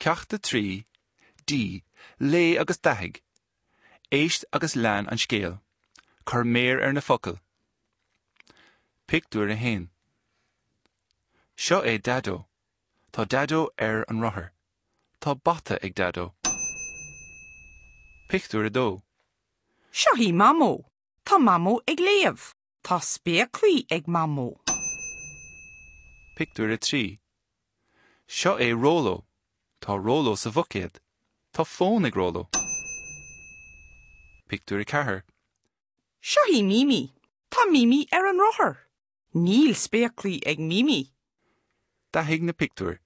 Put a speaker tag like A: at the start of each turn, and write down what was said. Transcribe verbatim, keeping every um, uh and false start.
A: Ceacht a trí, D, Léigh agus dathaigh. Éist agus lean an scéal. Cuir méar ar na focail. Pictiúr a haon. Seo é Daideo. Tá Daideo ar an rothar. Tá bata ag Daideo. Pictiúr a dó.
B: Seo í Mamó. Tá Mamó ag léamh. Tá spéaclaí ag Mamó.
A: Pictiúr a trí. Seo é Róló. Tá Róló sa bhuicéad. Tá fón ag Róló. Pictiúr a ceathair.
B: Seo í Mimi. Tá Mimi ar an rothar. Níl spéaclaí ag Mimi.
A: Dathaigh na pictiúir.